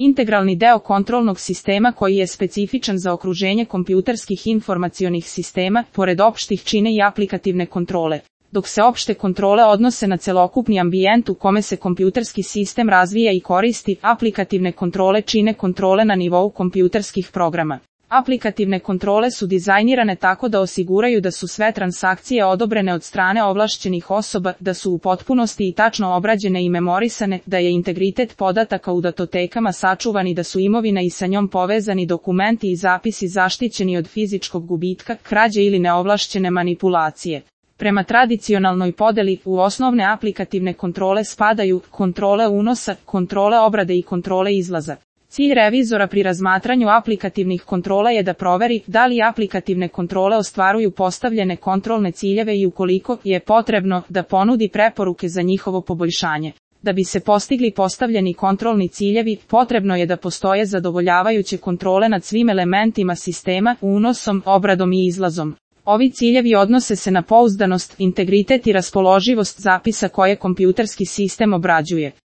integralni deo kontrolnog sistema koji je specifičan za okruženje kompjuterskih informacionih sistema, pored opštih čine i aplikativne kontrole. Dok se opšte kontrole odnose na celokupni ambijent u kome se kompjuterski sistem razvija i koristi, aplikativne kontrole čine kontrole na nivou kompjuterskih programa. Aplikativne kontrole su dizajnirane tako da osiguraju da su sve transakcije odobrene od strane ovlašćenih osoba, da su u potpunosti i tačno obrađene i memorisane, da je integritet podataka u datotekama sačuvan i da su imovina i sa njom povezani dokumenti i zapisi zaštićeni od fizičkog gubitka, krađe ili neovlašćene manipulacije. Prema tradicionalnoj podeli, u osnovne aplikativne kontrole spadaju kontrole unosa, kontrole obrade i kontrole izlaza. Cilj revizora pri razmatranju aplikativnih kontrola je da proveri da li aplikativne kontrole ostvaruju postavljene kontrolne ciljeve i ukoliko je potrebno da ponudi preporuke za njihovo poboljšanje. Da bi se postigli postavljeni kontrolni ciljevi, potrebno je da postoje zadovoljavajuće kontrole nad svim elementima sistema, unosom, obradom i izlazom. Ovi ciljevi odnose se na pouzdanost, integritet i raspoloživost zapisa koje kompjuterski sistem obrađuje.